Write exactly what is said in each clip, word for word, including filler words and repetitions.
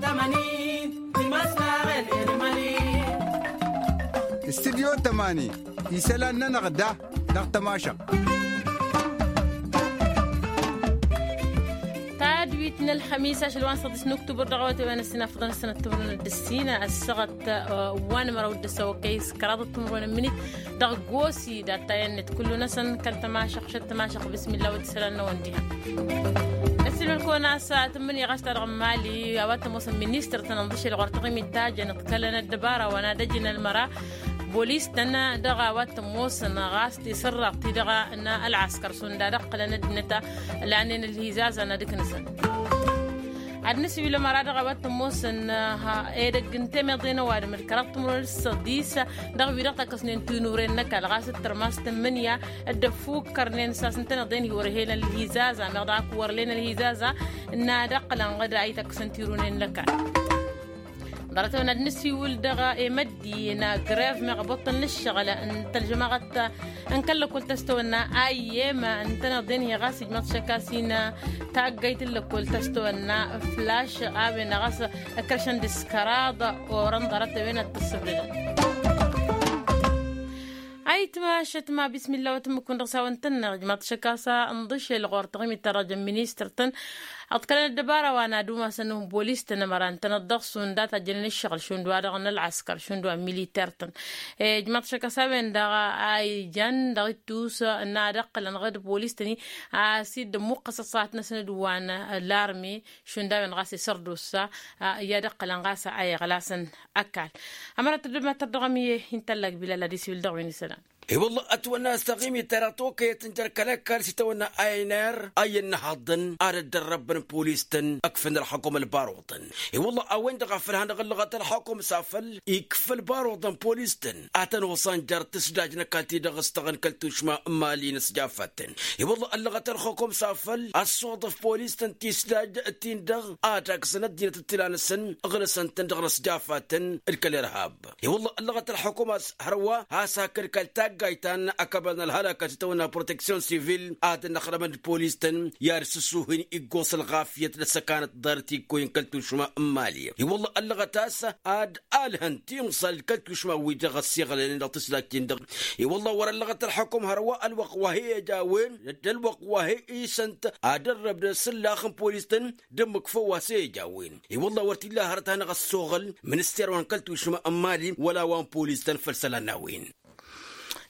Tămani timăslaɣen elmali. Studyo tămani isălan-nănăɣ da dăɣ-tămašăɣt. Tadwit n-ălxămis ašăl wa n-săḍis n-uktubăr dăɣ-awătay wa n-ăssin afḍăn ăssinăt timǝrwen d-ăssin ăssaɣăt wa n-măraw d-ăssaɣăt okăy s-kăraḍăt timǝrwen n-minit dăɣ-gosi d-attayăn-net kullu-năsăn kăl-tămašăɣt šăt tămašăɣt bismilla wa d-isălan-năwăn diha. Ăssin ălkăwăn a-s tǝmmǝnǝya ɣas ta dăɣ-mali a-wa t-ămoosăn ministăr-tăn ănḍǝšel ɣur-taɣimit ta jăn ǝḍkălăn ăddăbara wa n-ad-ăjǝn ălmăra bolis-tăn dăɣ-a-wa t-ămoosăn ɣas tisǝrraḍt-i-dăɣ n-ălɣăskăr šund ad-ǝqqǝlăn ăddinăt lannen ălhizazăn ad-ǝknǝsăn. Ad-nǝsǝwǝl ămăra dăɣ-a-wa t-ămoosăn edăgg n-temeḍe n-ăwadǝm d-kăraḍ timǝrwen d-săḍis dăɣ-wi-dăɣ takkăsnen tinuren n-ăkall ɣas d-tărmas tǝmmǝnǝya d-ăffukkărnen s-a-s ǝntăneḍ-en hi-wăr-ehen ălhizaza meɣ dăɣ-ak wăr-len ălhizaza n-ad-ăqqǝlăn ɣǝd a ităkkăsăn tirunen n-ăkall. Ḍarăt-wen ad-nǝsiwǝl dăɣ-emăddi n-agrev meɣ ăboṭṭăl n-ǝššăɣǝl n-tălžămaɣăt n-kăl-lăkkol tăstăwănna ayyem ǝntăneḍ-en hi-ɣas ijmăḍ šăkk a-s hin-taggayt n-lăkkol tăstăwănna flaš a-wen ɣas ǝkrăšăn d-s kăraḍ orăn ḍarăt-wen ad-t-ǝssǝbdădăn. Ayǝtma šătma bismilla wa tǝmmǝk-wǝn dăɣ-s a-wen tǝnneɣ ijmaḍ šăkk a-s ǝnḍǝšel ɣur-tăɣmit ta dăɣ-jăn ministăr-tăn ǝḍkălăn ăddăbara wa n-ad-umasăn n-bolis-tăn ămăra ǝntăneḍ dăɣ-s šund a tajjănen ǝššăɣǝl šund wa-dăɣ n-ălɣăskăr šund wa n-militer-tăn. Ijmaḍ šăkk a-s a-wen-dăɣ a ijan dăɣ-ittus n-ad-ǝqqǝlăn ɣǝd bolis-tăn-i a-s dd-ămmuqqăs ăṣṣahat-năsăn d-wa n-larmi šund a-wen ɣas isărdusa i-ad-ǝqqǝlăn ɣas a iɣlasăn ăkall. Ămăra tăddăbmat tărdăɣăm i-hin tăllak bilal ad-isiwǝl dăɣ-wen isălan. I-wălla ătwănna a-s taɣimit ta dăɣ-tokăyăt n-jer-kăl-ăkall s-itawănna a n r a iyyăn n-ehăḍḍăn ad-ăddărrăbbăn polis-tăn ăkfăn ălxukum ălbaruḍăn. I-wălla a-wen-dăɣ a făl hanăɣ-ǝllăɣăt ălxukum s-afăl ikf' ălbaruḍăn polis-tăn ad-tăn-oṣan jer-tǝsdaj n-ăkall-ti-dăɣ s-tăɣăn kăl-tušma n-imali n-ăsjafatăn. I-wălla ăllăɣăt ălxukum s-afăl ăssoḍăf polis-tăn tisdaj-tin-dăɣ ad-aksăn ăddinăt d-tila-năsăn ǝɣlăsăn-tăn dăɣ-inăsjafatăn d-kăl-irhab. I-wălla ăllăɣăt ălxukum a-s hărwa has-hakd kăl-taggayt ta n-akăbăl n-ălhălăkăt itawănna proteksyon sivil ad-ănnăxdămăn d-polis-tăn i-ad-sǝsuh-in iggoẓ ălɣafyăt d-ăssăkanăt ḍarăt ikkoyăn kăl-tušma n-imali. I-wălla ăllăɣăt a-s ad-alhăn timẓal kăl-tušma-wi-dăɣ ăssiɣlălăn dăɣ-tǝsdajt-in-dăɣ. I-wălla wăr-ăllăɣăt ălxukum hărwa ălwăqq wa he-ija a-wen d-ălwăqq wa he-isănt ad-ărrăb d-asǝllax n-polis-tăn d-ǝmmǝk făw wa s-e-ija a-wen. I-wălla wăr t-illa hărăt hanăɣ-ăssoɣăl minister wa n-kăl-tušma n-imali wăla wa n-polis-tăn făll-isălan n-a-wen.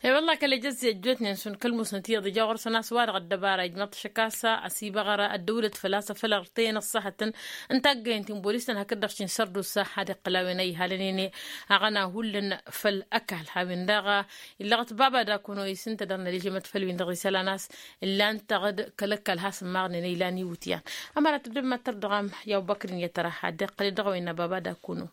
E-wălla kăl-ejăzze ăjjootnen šund kăl-musnăt iyyăḍ ija ɣur-săn a-s wa-dăɣ ăddăbara ijmăḍ-t šăkk a-s ăsibăɣăr ăddăwlăt făl-a-s afăl ărtăyăn ăṣṣahătăn n-taggăyăn ti n-bolis-tăn hakd-dăɣ šin sărdusa ad-iqqǝl a-wen a ihalăn-en aɣăna hullan făll-ăkall a-wen daɣ illăɣăt baba dakuno isǝnta dăr-năližămăt făll-win-dăɣ isălan a-s ǝllan-tăɣ d-kăl-ăkall has-ǝmmaɣnen ilan iwǝtyan. Ămăra tǝddǝm mad-tărdăɣăm i-abubăkr n-iyyăt tăra ad-iqqǝl-dd dăɣ-a-wen n-ababa dakuno.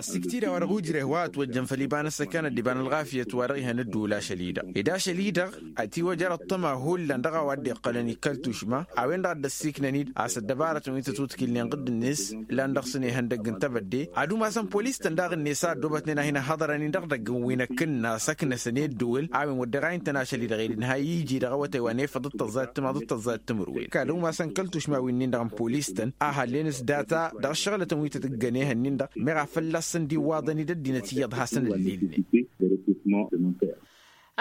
Ăssiktida wa dăɣ-ujreh wa ătwăjjăn făll-iba n-ăssăkanăt d-iba n-ălɣafyăt wa dăɣ-ihăn ǝddǝwǝl ašăl-i-dăɣ ed ašăl-i-dăɣ ătiwăjăr ăṭṭăma hullan dăɣ-a-wa dd-iqqălăn i-kăl-tušma. A-wen-dăɣ a dd-ăssiiknăn-dd a-s ăddăbarătăn wi tătwǝtkǝlnen ɣǝdd-net ǝllan dăɣ-săn ihăndăgg n-tebădde ad-umasăn polis-tăn daɣ-net a ăddoobătnen a hin-ăhhăḍărăn-in dăɣ-idăgg n-wi n-ăkkǝnna s-ăknăsăn i-ăddǝwǝl. A-wen wăr deɣ a intăn ašăl-i-dăɣ ed ǝnhăy iji dăɣ-awătay wa n-efăḍ d-tăẓẓayăt timaḍ d-tăẓẓayăt timǝrwen kăl-umasăn kăl-tušma wi-nin-dăɣ n-polis-tăn a hallen s-data dăɣ-ašăɣlătăn wi tăt-ǝggăn ehăn-in-dăɣ meɣ a fălla-săn d-iwaḍăn-dd ăddinăt iyyăḍ hasăn-ǝllilnen.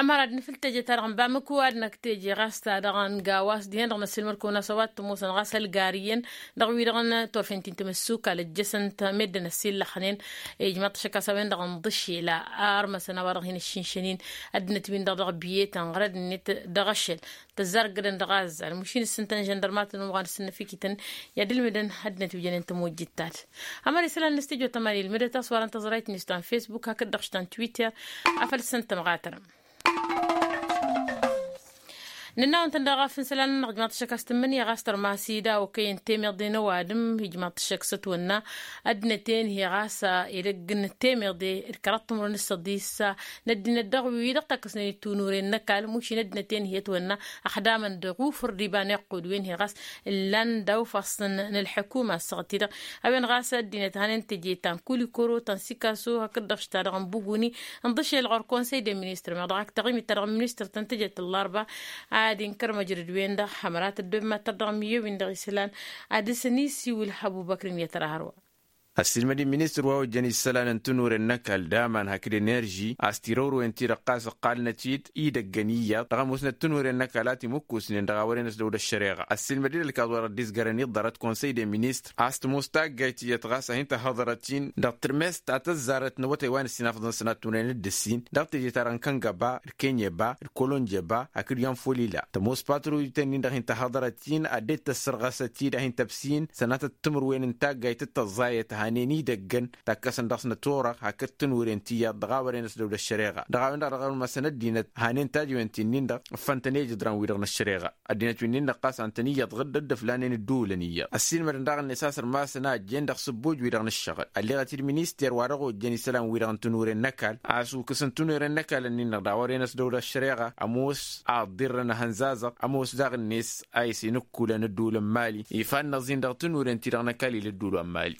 Ămăra d-nǝfǝl teje-ta-dăɣ n-bamǝk wa d-năkk teje ɣas ta-dăɣ n-gawas dihen-dăɣ năssiilmăd-kăwăn a-s a-wa t-ămoosăn ɣas ălgar iyyăn dăɣ-wi-dăɣ n-turfen ti n-tamǝssukal ăjjăsăn-t meddǝn ăssiillăxnen. Ijmăḍ-t šăkk a-s a-wen-dăɣ ǝnḍǝššel a ărmăsăn a-wa-dăɣ hin-ǝššǝnšăn-in ăddinăt-win-dăɣ dăɣ-biyetăn ɣărăd-net dăɣ-ašăl tăzzargădăn dăɣ-azzal mušin ǝssǝntăn žăndărmatăn wa n-ǝssǝnnăfikităn i-ad-ǝlmǝdăn ăddinăt wi jănen tămojjit-ta-dăɣ. Ămăra isălan n-studyo tămani ǝlmǝdăt a-s wa dăɣ-n tăẓrayt-net ta n-facebook hakd-dăɣ š-ta n-twitter. Afăl s-ǝntăm ɣatărăm nǝnna-wăn-tăn daɣ ɣef n-isălan-nănăɣ ijmaḍ-t šăkk a-s tǝmmǝnǝya ɣas tărmas-i da okăyăn temeḍe n-ăwadǝm ijmaḍ-t šăkk s-ătwănna ăddinăt-en-hi ɣas edăgg n-temeḍe d-kăraḍ timǝrwen d-săḍis n-ăddinăt dăɣ-wi-dăɣ takkăsnen-dd tunuren n-ăkall mušin ăddinăt-en-hi ătwănna ăxdamăn dăɣ-ufǝr d-iba n-iqqud wen-hi ɣas ǝllan daw-ifassăn n-ălḥukuma ăssaɣăt-i-dăɣ. A-wen ɣas ăddinăt hanen teje ta n-kulikoro ta n-sikaso hakd-dăɣ š-ta-dăɣ n-buguni ǝnḍǝšel ɣur-konsăy de ministre meɣ dăɣ-ak taɣimit-ta-dăɣ n-ministre ta n-teje ta n-larba. ad-inkăr măjrăd-wen-dăɣ hămărat ăddob mad-tărdăɣ miyyăwin dăɣ-isălan. Ad-dăr-săn isiwǝl hăbubăkrǝn i-tăra hărwa. Ăssiilmăd-in ministăr wa ojjăn isălan n-tinuren n-ăkall d-aman hakd enerži a-s tirăwrăwen-ti-dăɣ ɣas ǝqqalnăt-dd idăggăn iyyăḍ dăɣ-ămoosnăt tinuren n-ăkall a timǝkkusnen dăɣ-a wăren ăsdăwd ăššăreɣa. Ăssiilmăd-dd ălkaẓ-wa-dăɣ dd-izgărăn iḍḍărăt konsăy d-eministăr a-s tămoos taggayt iyyăt ɣas a hin-tăhhăḍărăt-in dăɣ-tǝrmest ta tăzzarăt n-awătay wa nǝssin afăḍăn sănat tunăyăn d-ǝssin dăɣ-teje-ta-dăɣ n-kăngăba d-kenyeba d-kolonjeba hakd i-anfolila. Tămoos patruyǝten-in-dăɣ hin-tăhhăḍărăt-in ad-dd-tăssărɣăsăt-dd a hin-tăbsin sănatăt timǝrwen n-taggayt d-tăẓẓayăt hanen idăggăn takkăsăn dăɣ-s n-ăturăɣ hakd tǝnwǝren ti iyyăḍ dăɣ-a wăren ăsdăwd ăššăreɣa dăɣ-a-wen-dăɣ dăɣ-ălmăsăn ăddinăt hanen tajwen ti-nin-dăɣ ǝffăn-tăn i-ijǝdran-wi-dăɣ n-ăššăreɣa. Ăddinăt wi-nin-dăɣ ɣas an tăn-iyyăḍ ɣǝdd dd-ǝflanen ǝddǝwǝlăn iyyăḍ ăssiilmădăn daɣ-net a-s ărmasăn a ăjjeen dăɣ-sǝbbuj-wi-dăɣ n-ǝššăɣǝl ălleɣăt-dd minister wa dăɣ-ojjăn isălan-wi-dăɣ n-tinuren n-ăkall a-s ukǝsăn tinuren n-ăkall-ǝnnin-dăɣ dăɣ-a wăren ăsdăwd ăššăreɣa ămoos a ǝḍḍirrăn ehăn zazăɣ ămoos daɣ-net a isinǝkkulăn ǝddǝwǝl n-imali ifannăẓ-in dăɣ-tinuren-ti-dăɣ n-ăkall ila ǝddǝwǝl wa n-imali.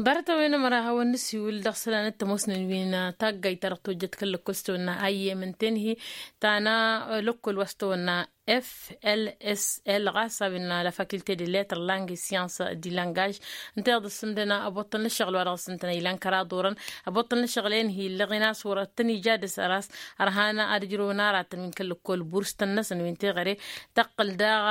Ḍarăt-a-wen ămăra a hawăn-nǝsiwǝl dăɣ-isălan d-tămoosnen wi n-taggayt ta dăɣ-tojjăt kăl-lăkkol s-tawănna a iyyem n-tenhi ta n-lăkkol wa s-tawănna f l s l ɣas a-wen la faculté de lettres langues et sciences du langage. Ǝnta iyyăḍ ǝssǝmdăn ăboṭṭăl n-ǝššăɣǝl wa dăɣ-s ǝntăneḍ ilan kăraḍ orăn ăboṭṭăl n-ǝššăɣǝl enhi illăɣ-in a-s wăr tăn-ija dăr-s ăras ărhan ad-ǝjrăwăn aratăn wi n-kăl-lăkkol burs-tăn-năsăn wi n-teɣăre tăqqǝl daɣ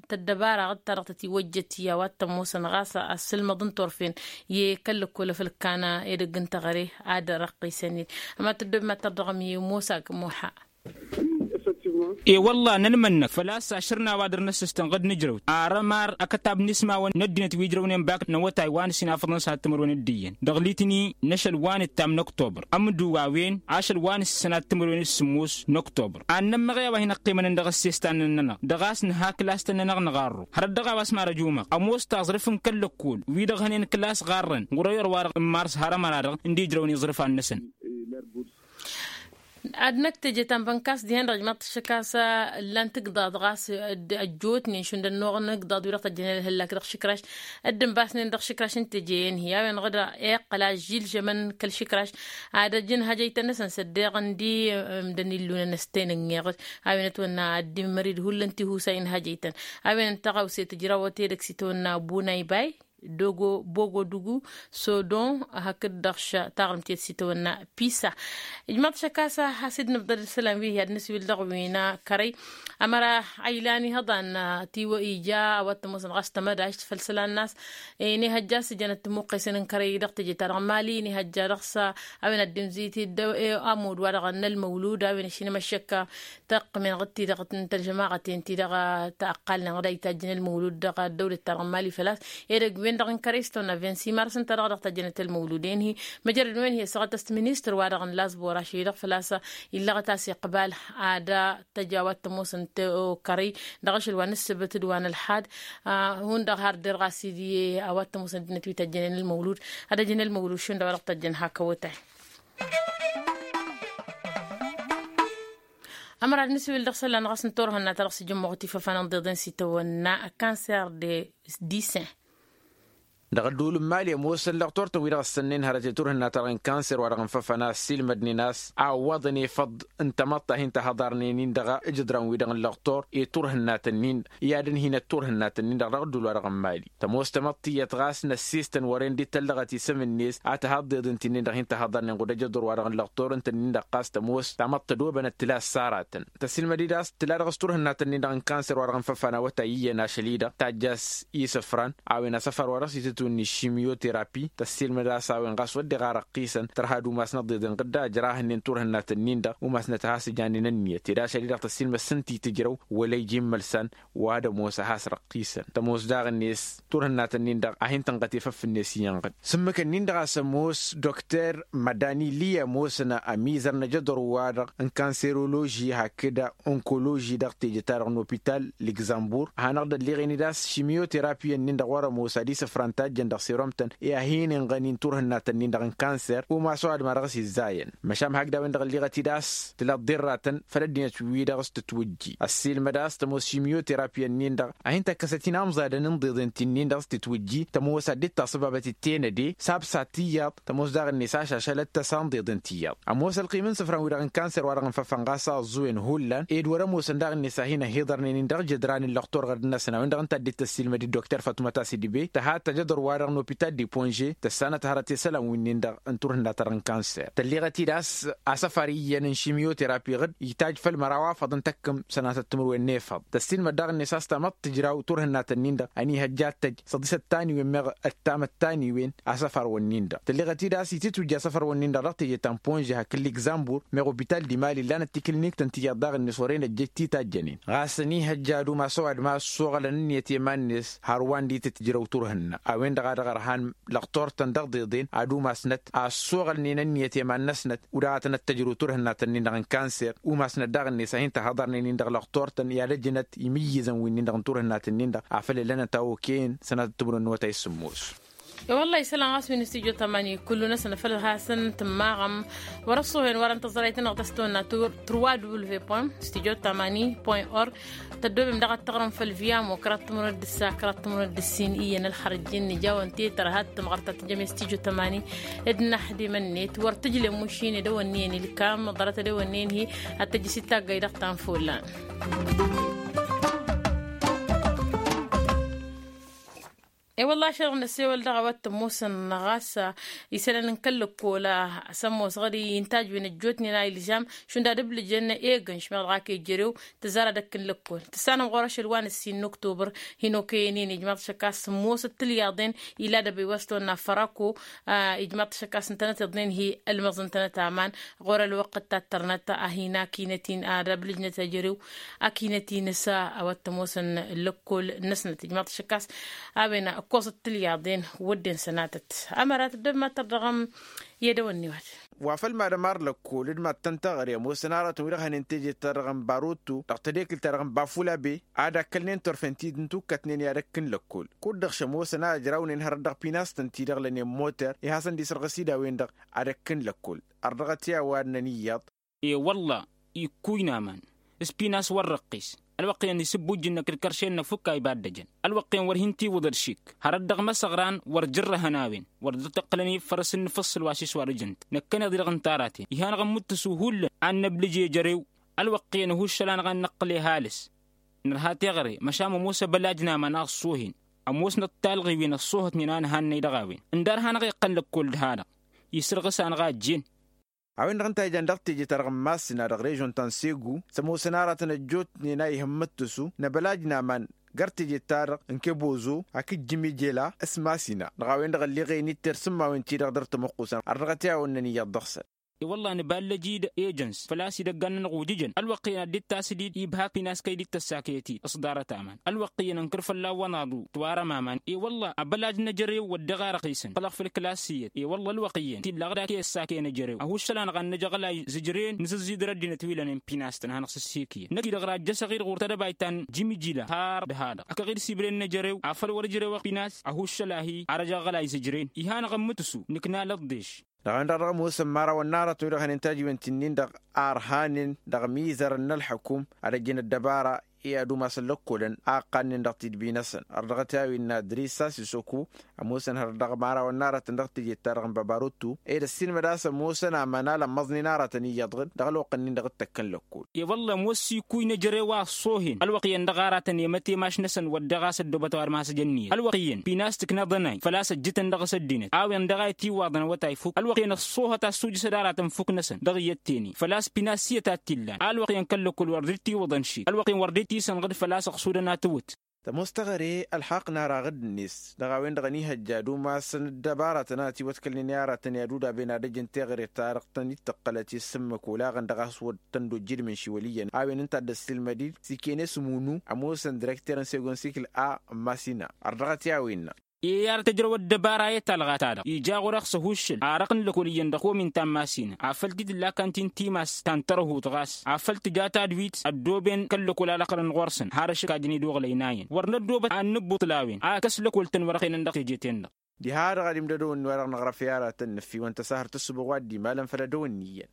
tăddăbaraɣ d-ta dăɣ-tătiwăjjăt i-a-wa t-ămoosăn ɣas ăssǝlmăḍ n-turfen i-kăl-lăkkol afăl ǝkkan edăgg n-teɣăre ad-răqqisăn-dd. Ămad tăddob mad-tărdăɣăm i-musa gmuḥa. E-wălla nănmănnăk făl-a-s ašăr n-a-wa dăr-năssǝstăn ɣǝd nǝjrăwt ar ămar akătab n-ismawăn n-ăddinăt wi ǝjrăwnen bak n-awătay wa n-ǝssin afăḍăn s-ad-timǝrwen d-iyyăn dăɣ-litni n-ašăl wa n-ǝttam n-ăktobăr ămdǝw a-wen ašăl wa n-ǝssǝnat timǝrwen d-sǝmmos n-ăktobăr. Ad-nămmăɣ i-a-wa hin-ăqqimănăn dăɣ-ăssestan-nănăɣ dăɣ-a-s nǝha kǝlas-tăn-nănăɣ nǝɣarru hărăt dăɣ-a-wa s-marăjumăɣ ămoos taẓrǝf n-kăl-lăkkol wi-dăɣ hănen kǝlas ɣarrăn ɣur-ăyor-wa-dăɣ n-mars har ămăra-dăɣ ǝndi ǝjrăwăn iẓrǝfan-năsăn. Ad-năkk teje ta n-bănkas dihen-dăɣ ijmaḍ-t ăššăk a-s ǝllan-t igḍaḍ ɣas ăjjootnen šund ănnuɣ n-igḍaḍ wi-dăɣ tăjjănen ălhăllak dăɣ-išǝkraš dd-ǝnbasnen dăɣ-išǝkraš n-teje-en-hi a-wen-dăɣ d-iqqăl ažžil žămăn kăl-išǝkraš ad-ăj ǝnhăjăytăn-năsăn s-ăddeɣ ǝndi ǝmdăn illunăn s-tenǝnneɣ a-wen ătwănna ad-dd-imărid hullan tihusa inhăjăytăn. A-wen n-tăɣawse tǝjrawăt edăgg s-itwănna bunay bay dogo bogo dugu sodon hakd-dăɣ taɣrǝmt i-dd s-itwănna pisa. Ijmaḍ šăkasa has-dd-nǝbḍăd isălan wi hi-ad-nǝswil dăɣ-wi n-kărăy ămăra a ilan ihăḍan tiwăija a-wa t-ămoosăn ɣas tămădašt făll-isălan n-a-s inihăjja a-s ǝjănăt timuqqesen n-kărăy dăɣ-teje-ta-dăɣ n-mali inihăjja dăɣ-s a-wen ad-dd-imzǝyǝt-dd amud-wa-dăɣ n-ălmăwlud a-wen ašinăm ăššăk tăqqǝmen ɣǝd-ti-dăɣ n-tălžămaɣăten-ti-dăɣ ta ăqqalnen ɣǝd a itajjăn ălmăwlud dăɣ-ăddăwlăt-ta-dăɣ n-mali făl-a-s edăgg-wen-dăɣ n-kărăy s-tăwănna vinsi mars ǝnta-dăɣ dăɣ-tajjănăt ălmăwlud-en-hi. Măjrăd-wen-hi ăssaɣăt-as-t ministăr-wa-dăɣ n-lazbor ašăl-i-dăɣ făl-a-s illăɣăt a-s iqbal ad-tăj a-wa t-ămoosăn kărăy dăɣ-ašăl wa n-ǝssǝbǝt d-wa n-ălxad. Hundăɣ har derɣ a-s dd-iyyăn a-wa t-ămoosăn ăddinăt wi tăjjănen ălmăwlud ad-ăjǝn ălmăwlud šund a-wa dăɣ-tăjjăn hak awătay. Ămăra ad-nǝswil dăɣ-isălan ɣas n-turhǝnna ta dăɣ-s ijǝmmuɣ tifăfan n-iḍeḍen s-itawănna cancer de disin. Dăɣ-ădduul n-mali ămoosăn lăɣtor-tăn wi-dăɣ ăssănnen hărăt i-turhǝnna ta dăɣ-en cancer wa dăɣ-en făfăn a ăssiilmădnen a-s a ǝwwaḍăn efăḍ n-tamăḍt ta hin-tăhăḍarnen-in dăɣ-ijǝḍran-wi-dăɣ n-lăɣtor i-turhǝnnat-nin i-ad-ǝnhinăt turhǝnnat-nin-dăɣ dăɣ-ădduul-wa-dăɣ n-mali. Tămoos tamăḍt tiyyăt ɣas n-ăssiistăn wăren dd-tăllăɣăt isăm-net a tǝha ăḍḍeḍ ǝnta-nin-dăɣ hin-tăhăḍarnen ɣud ejăḍur-wa-dăɣ n-lăɣtor ǝnta-nin-dăɣ ɣas tămoos tamăḍt tădobănăt tǝla ăssarătăn. Tăssiilmăd-dd a-s tǝla dăɣ-s turhǝnnat-nin-dăɣ n-cancer wa dăɣ-n făfan awătay iyyăn ašăl-i-dăɣ tajj a-s isǝfran a-wen asăfar wa dăɣ-s itǝtwǝnni šimyoterapi. Tăssiilmăd a-s a-wen ɣas wădden ar ăqqisăn tărha d-umasnăt ḍeḍen ɣǝdda ăjrahnen turhǝnnat-nin-dăɣ umasnăt a has-ǝjanen ǝnniyăt ed ašăl-i-dăɣ tăssiilmăd s-ǝnta itǝjrăw wăla ija immălsan. Wa d-ămoos a has-răqqisăn tămoos daɣ-net turhǝnnat-nin-dăɣ a hin-tǝnɣăt efăf-net iyyăn ɣǝd. S-ǝmmǝk-nin-dăɣ a-s ămoos dokter mădani li ămoosăn ămizăr n-ajăḍăr-wa-dăɣ n-kanseroloži hakd onkoloži dăɣ-teje-ta-dăɣ n-opital lăgzămbur a hanăɣ-dd-ălleɣen-dd a-s šimyoterapi-nin-dăɣ wăr-ămoos ad-isǝfran ta. jăn dăɣ-seromtăn i-ad-hin-inɣănin turhǝnnatăn-in-dăɣ n-kanser umas ăwadǝm a dăɣ-s izzayăn. Măšan hakd a-wen-dăɣ ǝlliɣăt-dd a-s tǝla ăḍḍirratăn făll-ăddinăt wi-dăɣ s-tǝtwǝjji ăssiilmăd a-s tămoos šimyoterapi-ǝnnin-dăɣ a hin-tăkkăsăt inamẓadăn n-iḍeḍen ti-nin-dăɣ s-tǝtwǝjji tămoos ad-dd-taṣǝbabăt d-tenăde s-absa tiyyăḍ tămoos daɣ-net ašašălăt tăsa n-iḍeḍen tiyyăḍ. Ămoos ălqim n-isǝfran-wi-dăɣ n-kanser wa dăɣ-nǝfăfănɣas aẓẓuwen hullan ed wăr-ămoosăn daɣ-net a hin-ăhiḍărnen-in dăɣ-jădran n-lăxtur ɣărd-năsăn a-wen-dăɣ ǝnta a dd-tăssiilmăd d-dokter fătumăt a-s idǝbe tăhat tajăḍăr-wa-dăɣ n-opital di ponže tăssanăt hărăt i-isălan wi-nin-dăɣ n-turhǝnna-ta-dăɣ n-kanser tălleɣăt-dd a-s asăfar iyyăn n-šimyoterapi ɣǝd itaji făll-măraw afăḍ n-tăkkǝm sănatăt timǝrwen n-efăḍ tăssiilmăd daɣ-net a-s tamăḍt tǝjraw turhǝnnatăn-in-dăɣ ăniihăjja ad-tăj săḍisăt taniwen meɣ ăttamăt taniwen asăfar-wǝnnin-dăɣ tălleɣăt-dd a-s itǝtwǝjja asăfar-wǝnnin-dăɣ dăɣ-teje ta n-ponže hakd ligzambur meɣ opital d-imali ǝllanăt tikǝlniktăn tiyyăḍ daɣ-net wăren ăjjăj titajjănen ɣas ăniihăjja ad-umas ăwadǝm a ăssoɣălăn ǝnniyăt i-iman-net hărwa n-ditǝtǝjrăw turhǝnna a-wen-dăɣ a dăɣ-ărhan lăxtor-tăn dăɣ-iḍeḍen ad-umasnăt a ăssoɣălnen ǝnniyăt i-iman-năsnăt u-dăɣ a tănăt-tăjrǝw turhǝnnatăn-in-dăɣ n-kanser umasnăt daɣ-net a hin-tăhăḍărnen-in-dăɣ lăxtor-tăn i-ad-ăjnăt imǝyyǝzăn wi-nin-dăɣ n-turhǝnnatăn-in-dăɣ afăl ǝllănăt a okăyăn sănatăt timǝrwen n-awătay s-sǝmmos. E-wălla-hi isălan ɣas wi n-studyo tămani kullu-năsăn făl hasăn-tǝmmaɣăm wăr-ăṣṣuhen wăren tăẓrayt-năɣ tăstonna turwa w studyo tămani point org. Tăddobem daɣ ad-tăɣrăm făll-viamo kăraḍ timǝrwen d-ǝssa kăraḍ timǝrwen d-ǝssin iyyăn ălxărjin nǝjawăn tetăr ad-tǝmɣăr ta tǝjăm i-studyo tămani d-năḥdimăn-net wăr tǝjlem ušine d-ăwănniyăn ilkam ḍarăt d-ăwănniyăn hi-ad-tăjjǝs d-taggay dăɣ-tanfullan. E-wălla-hi ašăl dăɣ-năssewăl dăɣ-a-wa t-ămoosăn ɣas isălan n-kăl-lăkkol a-s ămoos ɣări intaj wi n-ăjjootnen a ilžam šund ad-ǝblǝjăn egănš meɣ dăɣ-ak ejărew tǝzzar ad-ăkk n-lăkkol tǝssanăm ɣur-ašăl wa n-ǝssin n-oktobăr hin-okăyăn-in ijmaḍ-t ašăk a-s sǝmmosăt tǝlyaḍen ila dăbey wa s-tonna fărako. Ijmaḍ-t ašăk a-s ǝntănăt iḍnen hi-ălmăẓ ǝntănăt aman ɣur-ălwăqq d-tattărnăt a hin-akinăt-in ad-ăblǝjnăt ejărew akinăt-in s-a-wa t-ămoosăn lăkkol-năsnăt ijmaḍ-t ašăk a-s a-wen ǝkkoẓăt tǝlyaḍen wădden sănatăt. Ămărat dd-ăbmatăr dăɣ-ămm i-ad-ăwănniwăt. Wa făl-mad-ămar lăkkol d-mad-tăn-taɣre ămoosăn aratăn wi-dăɣ hănen teje-ta-dăɣ n-baroto dăɣ-tedekǝlt-ta-dăɣ n-bafulabe ad-akkălnen turfen ti dd-intukkătnen i-ad-ăkk n-lăkkol kud-dăɣ šămoosăn a ǝjraw-nen hărăt dăɣ-pinastăn-ti-dăɣ lănen moter i-hasăn-dd-isărɣǝs-dd a-wen-dăɣ ad-ăkk n-lăkkol. Ărdăɣăt i-a-wa ǝnnăn iyyăḍ. E-wălla-hi ikkuy n-aman s-pinas wăr răqqis ălwăqq-iyyăn isǝbbujjǝn-năk d-kărše-năk fukk a iba dd-ăjăn ălwăqq-iyyăn wăr hin-tiwǝḍ ălšik. Hărăt dăɣ-măsăɣran wăr jǝrrăhăn a-wen wăr dd-tăqqǝlăn iffărǝs n-inǝfǝṣṣǝl wa s-iswar ijăn-t năkkăneḍ-i dăɣ-ǝntaratăn iha-năɣ ămmǝttǝsu hullan ad-năblǝj i-ejărew. Ălwăqq-iyyăn ăhuššăl-anăɣ ad-năqqǝl i-ăhalǝs nărha teɣăre măšan ămoos abălaj n-aman a ăṣṣoohen ămoosnăt talɣiwen ăṣṣoohătnen a nǝhannăy dăɣ-a-wen ǝndar hanăɣ-iqqăn lăkkol d-hanăɣ isǝrɣǝs-anăɣ a ăjjeen. A-wen-dăɣ ǝnta a ijan dăɣ-teje-ta-dăɣ n-massina dăɣ-režon ta n-segu s-ămoosăn aratăn ăjjootnen a ih' ǝmmǝttǝsu n-abălaj n-aman găr teje-ta-dăɣ n-kebozo hakd jimijela s-massina dăɣ-a-wen-dăɣ ălleɣ-en itter s-ǝmmawen-ti-dăɣ dăr-tămăqqusăn ărdăɣăt i-a-wănnăn iyyăḍ dăɣ-săn. I-wălla-hi nǝballăj-dd ejăns făl-a-s idăggan-nănăɣ ujǝjăn ălwăqq-iyyăn ad-dd-tasǝd-dd ibhak pinas kăy-dd-tăssakăyăt-dd s-ḍarăt aman ălwăqq-iyyăn ǝnkăr fălla-wăn aḍu tiwarăm aman. I-wălla-hi abălaj n-ejărew wădden a răɣisăn făl-ăɣ făll-klas iyyăt i-wălla-hi ălwăqq-iyyăn tillăɣ d-ak i-ăssakăyăn ejărew ăhuššăl-anăɣ ad-năj aɣălay zǝjren nǝsǝzzidăr ăddinăt wi lănen pinas-tăn ad-hanăɣ-sǝssikǝyăn năkk-i-dăɣ rajjăsăɣ-dd ɣur-tadăbayt ta n-jimijila har d-ha-dăɣ ăkăɣ-dd sibren n-ejărew afăl wăr-ǝjrewăɣ pinas ăhuššăl-ahi ar ăj aɣălay zǝjren. Iha-năɣ ămmǝtǝsu nǝkna lăḍḍeš. Dăɣ-a-wen-dăɣ dăɣ-ămoosăn imărawăn n-aratăn wi-dăɣ hănen tajiwen ti-nin-dăɣ a ărhanen dăɣ-mizărăn n-ălḥăkum ad-ăjjăn ăddăbara i-ad-umasăn lăkkolăn a ǝqqannen dăɣ-tidbi-năsăn. Ărdăɣăt i-a-wen n-adrisa sisoko ămoosăn hărăt dăɣ-imărawăn n-aratăn dăɣ-teje-ta-dăɣ n-babarottu ed ăssiilmăd a-s ămoosăn aman a lămmăẓnen aratăn iyyăḍ ɣǝd dăɣ-ălwăqq-nin-dăɣ d-tăkkăn lăkkol. I-wălla ămoos s-ikuy n-ejărew a ăṣṣoohen ălwăqq-iyyăn dăɣ-aratăn i-mătemaš-năsăn wădden ɣas ăddoobăt a-wa d-masăj ǝnniyăt ălwăqq-iyyăn pinas tǝknăḍ ănay făl-a-s ăjjǝtăn dăɣ-s ăddinăt a-wen dăɣ-a itǝwwaḍăn awătay fukk ălwăqq-iyyăn ăṣṣoohăt a ăssujǝsăd aratăn fukk-năsăn dăɣ-iyyăt tene făl-a-s pinas iyyăt a t-illan a ălwăqq-iyyăn kăl-lăkkol wăr dd-tiwǝḍăn šik ălwăqq-iyyăn wăr dd-tisănɣăd făl-a-s ăɣsudăn a tǝwǝt. Tămoos teɣăre ălxaqq n-ara ɣǝdd-net dăɣ-a-wen-dăɣ ănihăjja ad-umasăn ăddăbara tănat iwătkălnen i-aratăn i-ad-udaben ad-ăjǝn teɣăre-ta-dăɣ tăn-dd-tǝqqălăt i-ăssǝmmăk olaɣăn dăɣ-a-s wăr tăn-dd-ojjǝdmǝn šiwăl iyyăn a-wen ǝnta a dd-ăssiilmăd-dd s-ikene s-munu ămoosăn direkter n-segon sikǝl a n-masina. Ărdăɣăt i-a-wen innă. I-ad-tăjrăw ăddăbara i-talɣa-ta-dăɣ ija ɣur-e s-ăhuššăl arăɣ n-lăkol iyyăn dăɣ-komin ta n-masina afăl t-dd-ǝlla kantin timas ta n-tărhut ɣas afăl tǝja tadwit ăddooben kăl-lăkol a lăqrăn ɣur-săn har ašăk a jăn-dd-oɣlăyna iyyăn wăr năddoobăt ad-nǝbbǝṭṭǝl a-wen a kăs lăkol-tăn wăr-ăxenăn dăɣ-teje-ten-dăɣ. Diha-dăɣ ad-imdădăwăn-wi-dăɣ năɣrăf i-aratăn n-ǝffiwăn tăsahărt ăssubuɣ wa dd-imalăn făll-ădăwăn n-iyyăn.